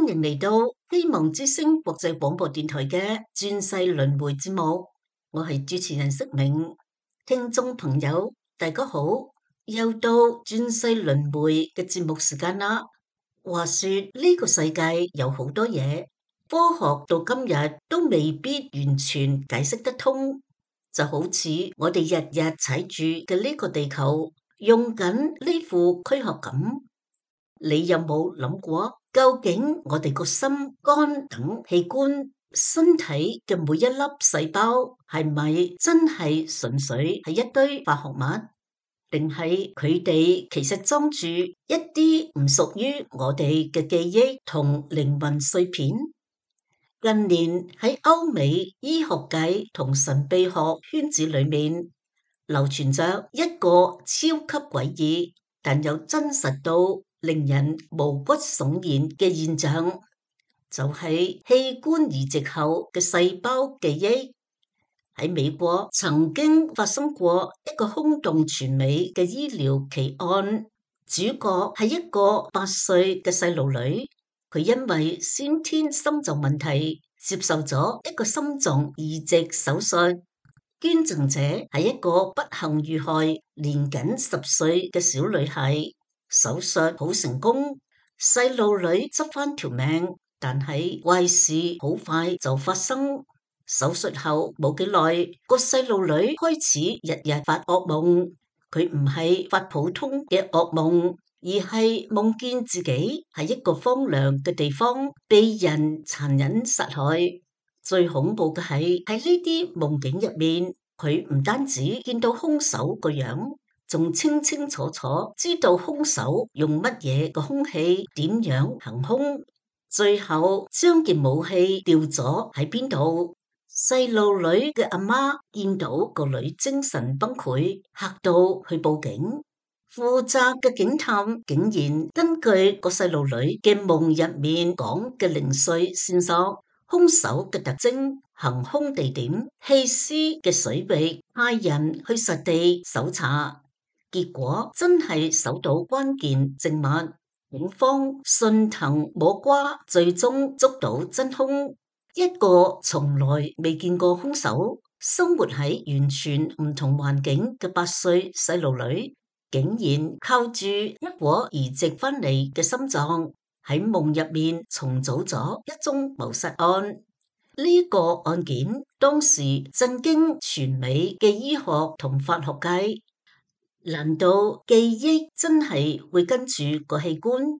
歡迎嚟到希望之聲國際廣播電台嘅轉世輪迴節目，我係主持人釋明。聽眾朋友大家好，又到轉世輪迴嘅節目時間啦。話說呢個世界有好多嘢，科學到今日都未必完全解釋得通，就好似我哋日日踩住嘅呢個地球，用緊呢副軀殼咁。你有冇諗過，究竟我哋個心、肝等器官、身體嘅每一粒細胞，係咪真係純粹係一堆化學物，定係佢哋其實裝住一啲唔屬於我哋嘅記憶同靈魂碎片？近年喺歐美醫學界同神秘學圈子裏面，流傳着一個超級詭異，但又真實到令人毛骨悚然嘅現象，就係器官移植後嘅細胞記憶。喺美國曾經發生過一個轟動全美嘅醫療奇案，主角係一個8歲嘅細路女，佢因為先天心臟問題接受咗一個心臟移植手術。捐贈者係一個不幸遇害、年僅10歲嘅小女孩。手術好成功，細路女執返條命，但係壞事好快就發生。手術後冇幾耐，個細路女開始日日發噩夢。佢唔係發普通嘅噩夢，而係夢見自己喺一個荒涼嘅地方被人殘忍殺害。最恐怖嘅係喺呢啲夢境入面，佢唔單止見到兇手個樣，仲清清楚楚知道兇手用乜嘢個兇器，點樣行兇，最後將件武器掉咗喺邊度。細路女嘅阿媽見到個女精神崩潰，嚇到去報警。負責嘅警探竟然根據個細路女嘅夢入面講嘅零碎線索，兇手嘅特徵、行兇地點、棄屍嘅水域，派人去實地搜查。結果真係搜到關鍵證物，警方順藤摸瓜，最終捉到真兇。一個從來未見過兇手，生活喺完全唔同環境嘅8歲細路女，竟然靠住一顆移植翻嚟嘅心臟，喺夢入面重組咗一宗謀殺案。呢個案件當時震驚全美嘅醫學同法學界。難道記憶真係會跟住個器官，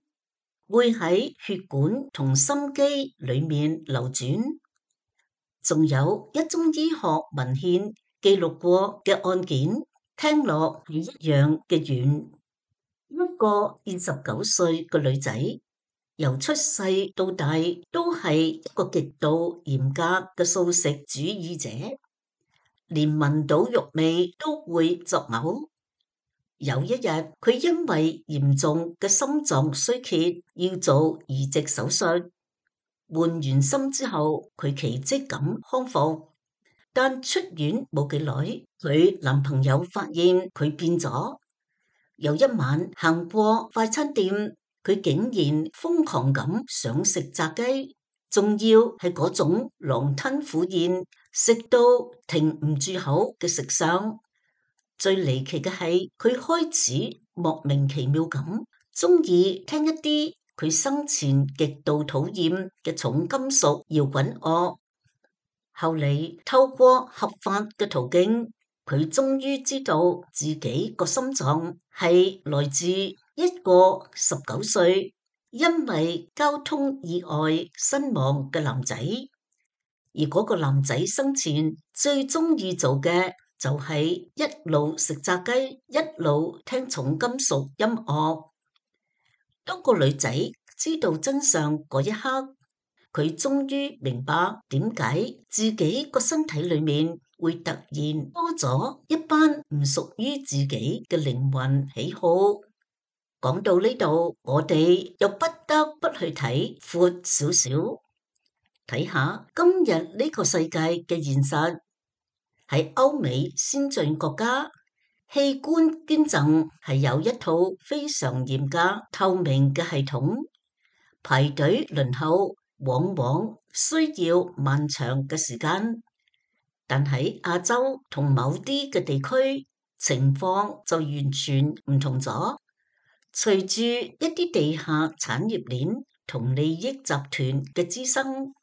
會喺血管同心肌裏面流轉？仲有一宗醫學文獻記錄過嘅案件，聽落係一樣嘅懸。一個29歲嘅女仔，由出世到大都係一個極度嚴格嘅素食主義者，連聞到肉味都會作嘔。有一日，佢因為嚴重嘅心臟衰竭，要做移植手術。換完心之後，佢奇蹟咁康復。但出院冇幾耐，佢男朋友發現佢變咗。有一晚行過快餐店，佢竟然瘋狂咁想食炸雞，仲要係嗰種狼吞虎咽，食到停唔住口嘅食相。最離奇嘅係，佢開始莫名其妙咁中意聽一啲佢生前極度討厭嘅重金屬搖滾樂。後嚟透過合法嘅途徑，佢終於知道自己個心臟係來自一個19歲因為交通意外身亡嘅男仔，而嗰個男仔生前最中意做嘅就係一路食炸雞，一路聽重金屬音樂。當個女仔知道真相嗰一刻，佢終於明白點解自己個身體裏面會突然多咗一班唔屬於自己嘅靈魂喜好。講到呢度，我哋又不得不去睇闊少少，睇下今日呢個世界嘅現實。喺歐美先進國家，器官捐贈係有一套非常嚴格透明嘅系統，排隊輪候，往往需要漫長嘅時間。但喺亞洲同某啲嘅地區，情況就完全唔同咗。隨住一啲地下產業鏈同利益集團嘅滋生，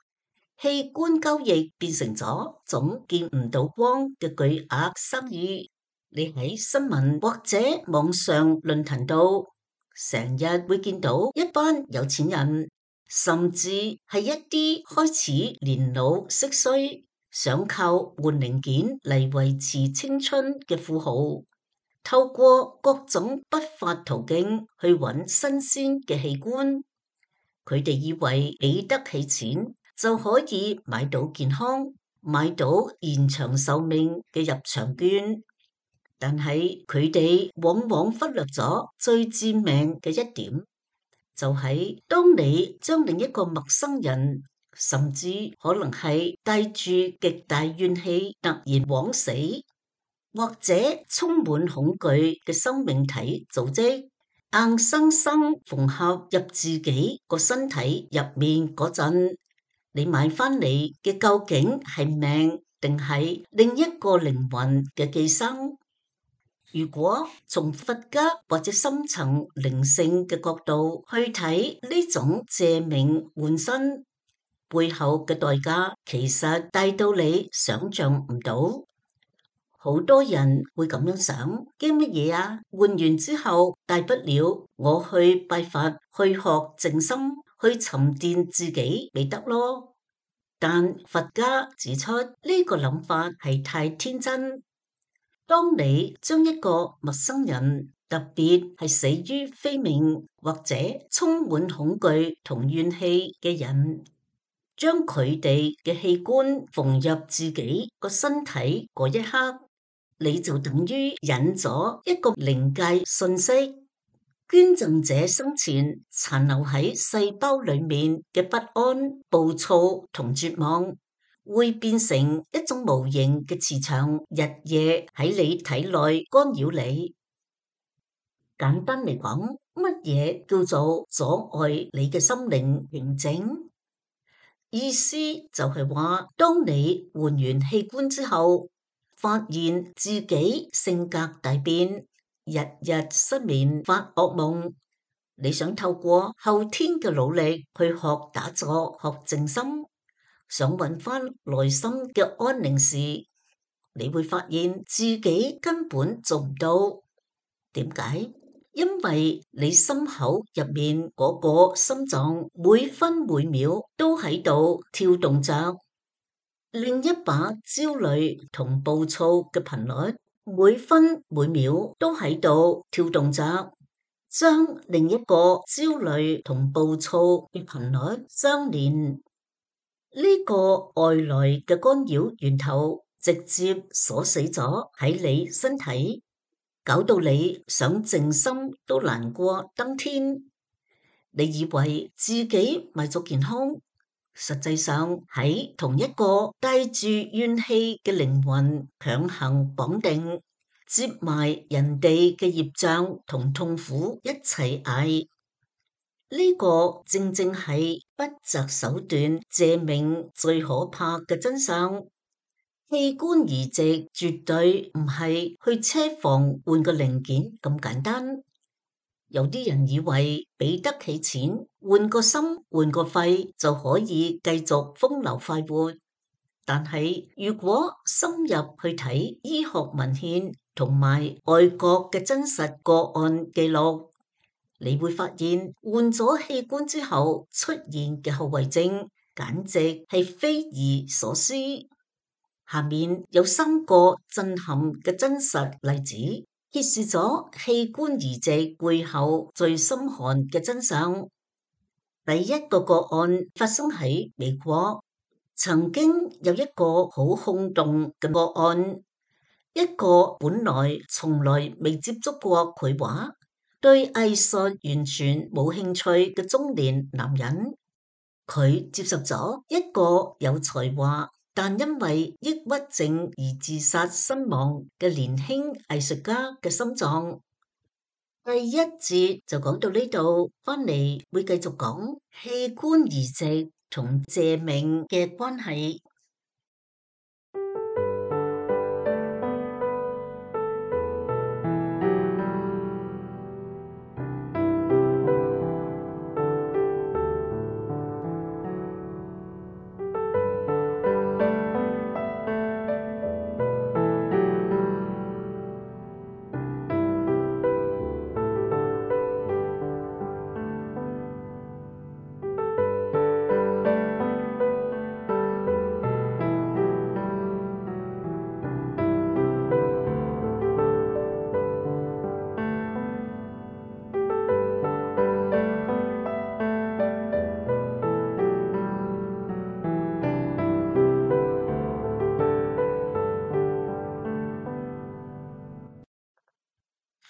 器官交易變成咗種見唔到光嘅巨額生意。你喺新聞或者網上論壇度，成日會見到一班有錢人，甚至係一啲開始年老色衰，想靠換零件嚟維持青春嘅富豪，透過各種不法途徑去揾新鮮嘅器官。佢哋以為俾得起錢就可以買到健康，買到延長壽命嘅入場券。但係佢哋往往忽略咗最致命嘅一點，就係當你將另一個陌生人，甚至可能係帶住極大怨氣突然枉死，或者充滿恐懼嘅生命體組織，硬生生縫合入自己個身體入面嗰陣，你買翻嚟嘅究竟係命定係另一個靈魂嘅寄生？如果從佛家或者深層靈性嘅角度去睇呢種借命換身背後嘅代價，其實大到你想象唔到。好多人會咁樣想，驚乜嘢啊？換完之後，大不了我去拜佛，去學靜心，去沉澱自己咪得咯。但佛家指出呢個諗法係太天真。當你將一個陌生人，特別係死於非命或者充滿恐懼同怨氣嘅人，將佢哋嘅器官縫入自己個身體嗰一刻，你就等於引咗一個靈界訊息。捐贈者生前殘留喺細胞裏面嘅不安、暴躁同絕望，會變成一種無形嘅磁場，日夜喺你體內干擾你。簡單嚟講，乜嘢叫做阻礙你嘅心靈平靜？意思就係話，當你換完器官之後，發現自己性格大變，日日失眠發噩夢，你想透過後天嘅努力去學打坐、學靜心，想揾翻內心嘅安寧時，你會發現自己根本做唔到。點解？因為你心口入面嗰個心臟每分每秒都喺度跳動着，另一把焦慮同暴躁嘅頻率每分每秒都喺度跳動着，將另一個焦慮同暴躁嘅頻率相連。呢個外來嘅干擾源頭直接鎖死咗喺你身體，搞到你想靜心都難過登天。你以為自己為咗健康，實際上喺同一個帶住怨氣嘅靈魂強行綁定，接埋人哋嘅業障同痛苦一齊捱。呢個正正係不擇手段借命最可怕嘅真相。器官移植絕對唔係去車房換個零件咁簡單。有啲人以為俾得起錢換個心換個肺就可以繼續風流快活，但係如果深入去睇醫學文獻同埋外國嘅真實個案記錄，你會發現換咗器官之後出現嘅後遺症，簡直係匪夷所思。下面有3個震撼嘅真實例子，揭示咗器官移植背後最心寒嘅真相。第一個個案發生喺美國，曾經有一個好轟動嘅個案，一個本來從來未接觸過繪畫，對藝術完全冇興趣嘅中年男人，佢接受咗一個有才華但因為抑鬱症而自殺身亡嘅年輕藝術家嘅心臟。第一節就講到呢度，翻嚟會繼續講器官移植同借命嘅關係。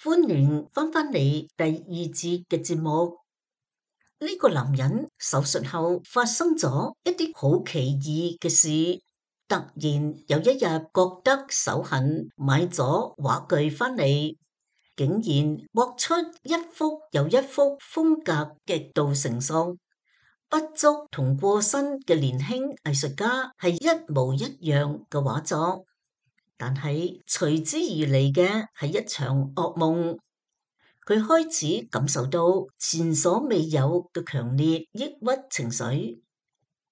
歡迎翻返嚟第二節嘅節目。呢個男人手術後發生咗一啲好奇異嘅事，突然有一日覺得手痕，買咗畫具翻嚟，竟然畫出一幅又一幅風格極度成熟、不足同過身嘅年輕藝術家係一模一樣嘅畫作。但係隨之而嚟嘅係一場噩夢，佢開始感受到前所未有嘅強烈抑鬱情緒，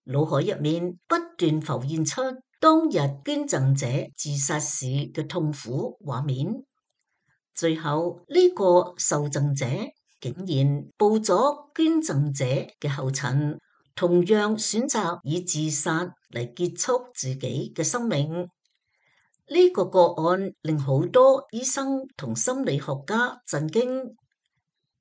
腦海入面不斷浮現出當日捐贈者自殺時嘅痛苦畫面。最後呢個受贈者竟然步咗捐贈者嘅後塵，同樣選擇以自殺嚟結束自己嘅生命。呢個個案令好多醫生同心理學家震驚。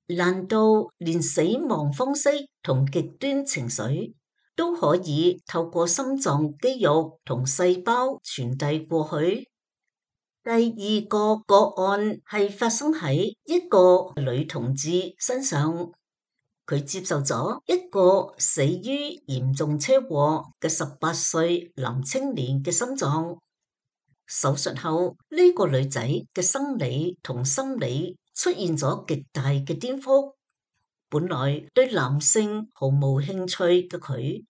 難道連死亡方式同極端情緒都可以透過心臟肌肉同細胞傳遞過去？第二個個案係發生喺一個女同志身上，佢接受咗一個死於嚴重車禍嘅18歲男青年嘅心臟。手術後，呢個女仔嘅生理同心理出現咗極大嘅顛覆。本來對男性毫無興趣嘅佢，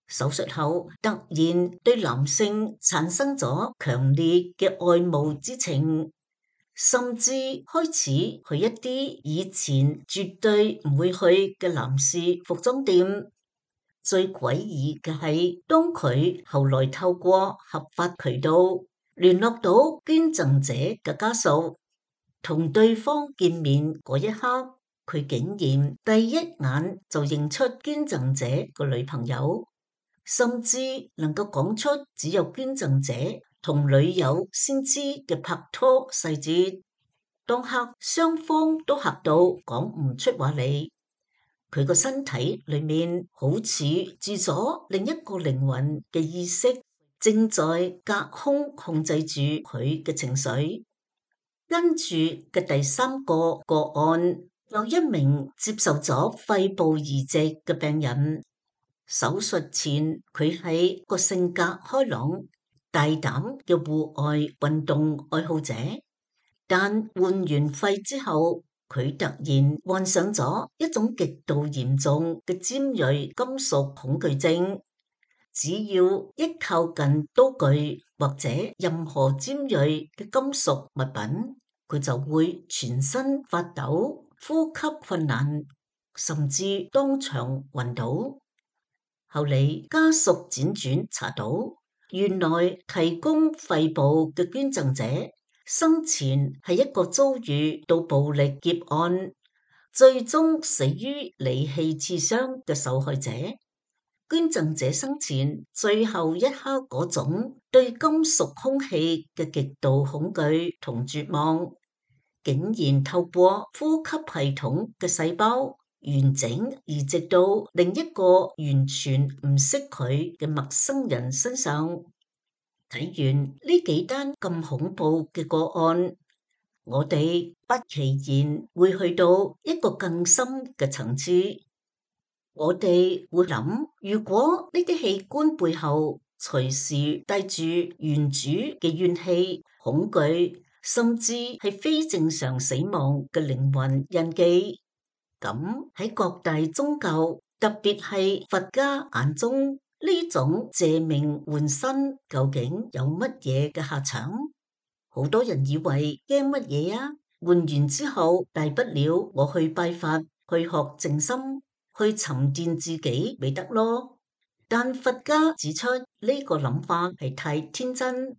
手術後突然對男性產生咗強烈嘅愛慕之情，甚至開始去一啲以前絕對唔會去嘅男士服裝店。最詭異嘅係，當佢後來透過合法渠道聯絡到捐贈者嘅家屬，同對方見面嗰一刻，佢竟然第一眼就認出捐贈者個女朋友，甚至能夠講出只有捐贈者同女友先知嘅拍拖細節。當刻雙方都嚇到講唔出話嚟。佢個身體裏面好似住咗另一個靈魂嘅意識，正在隔空控制住佢嘅情緒。跟住嘅第三個個案，有一名接受咗肺部移植嘅病人。手術前佢係個性格開朗、大膽嘅戶外運動愛好者，但換完肺之後，佢突然患上咗一種極度嚴重嘅尖銳金屬恐懼症。只要一靠近刀具或者任何尖銳嘅金屬物品，佢就會全身發抖、呼吸困難，甚至當場暈倒。後嚟家屬輾轉查到，原來提供肺部嘅捐贈者生前係一個遭遇到暴力劫案，最終死於利器刺傷嘅受害者。捐贈者生前最後一刻嗰種對金屬空氣嘅極度恐懼同絕望，竟然透過呼吸系統嘅細胞完整移植到另一個完全唔識佢嘅陌生人身上。睇完呢幾單咁恐怖嘅個案，我哋不期然會去到一個更深嘅層次。我哋會諗，如果呢啲器官背後隨時帶住原主嘅怨氣、恐懼甚至係非正常死亡嘅靈魂印記。咁喺各大宗教，特別係佛家眼中，呢種借命換身究竟有乜嘢嘅下場？好多人以為驚乜嘢啊？換完之後，大不了我去拜佛，去學靜心，去沉澱自己咪得咯。但佛家指出呢個諗法係太天真。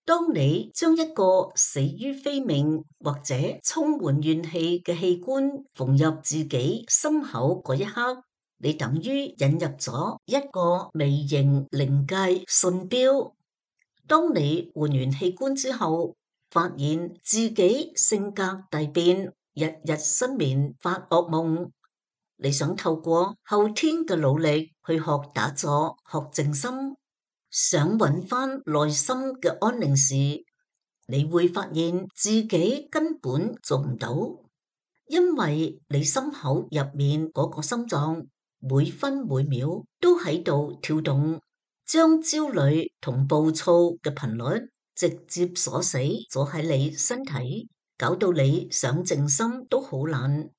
當你將一個死於非命或者充滿怨氣嘅器官縫入自己心口嗰一刻，你等於引入咗一個微型靈界信標。當你換完器官之後，發現自己性格大變，日日失眠發噩夢，你想透過後天嘅努力去學打坐、學靜心，想揾翻內心嘅安寧時，你會發現自己根本做唔到，因為你心口入面嗰個心臟每分每秒都喺度跳動，將焦慮同暴躁嘅頻率直接鎖死咗喺你身體，搞到你想靜心都好難。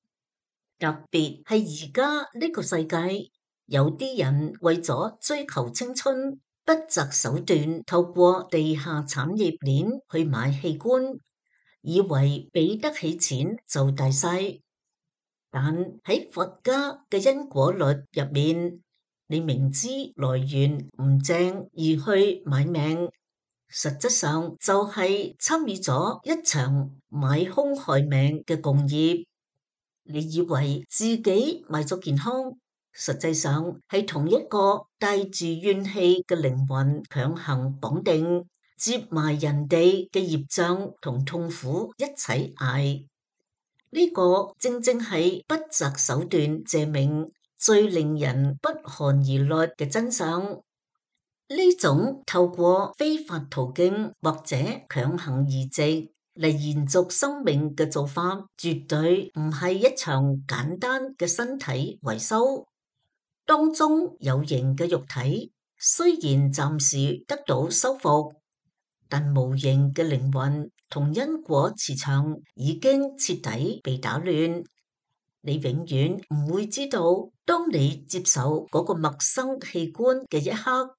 特別係而家呢個世界，有啲人為咗追求青春，不擇手段透過地下產業鏈去買器官，以為俾得起錢就大晒。但喺佛家嘅因果律入面，你明知來源唔正而去買命，實質上就係參與咗一場買兇害命嘅共業。你以為自己買咗健康，實際上係同一個帶住怨氣嘅靈魂強行綁定，接埋人哋嘅業障同痛苦一齊捱。呢個正正係不擇手段借命最令人不寒而慄嘅真相。呢種透過非法途徑或者強行移植嚟延續生命嘅做法，絕對唔係一場簡單嘅身體維修。當中有形嘅肉體雖然暫時得到修復，但無形嘅靈魂同因果磁場已經徹底被打亂。你永遠唔會知道，當你接受嗰個陌生器官嘅一刻，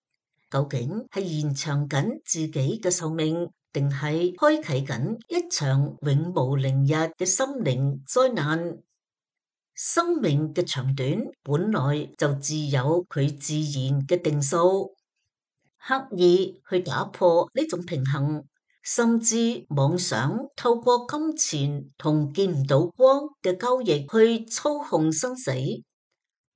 究竟係延長緊自己嘅壽命，定係開啟緊一場永無寧日嘅心靈災難？生命嘅長短本來就自有佢自然嘅定數，刻意去打破呢種平衡，甚至妄想透過金錢同見唔到光嘅交易去操控生死，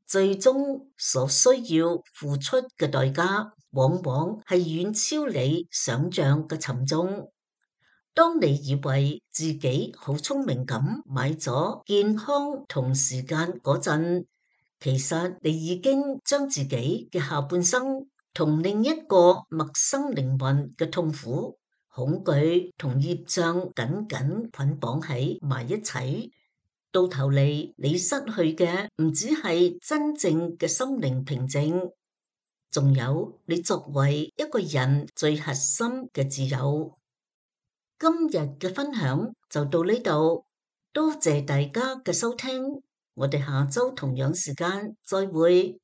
最終所需要付出嘅代價，往往係遠超你想象嘅沉重。當你以為自己好聰明咁買咗健康同時間嗰陣，其實你已經將自己嘅下半生同另一個陌生靈魂嘅痛苦、恐懼同業障緊緊捆綁喺埋一齊。到頭嚟，你失去嘅唔只係真正嘅心靈平靜，仲有你作為一個人最核心嘅自由。今日嘅分享就到呢度，多謝大家嘅收聽，我哋下周同樣時間再會。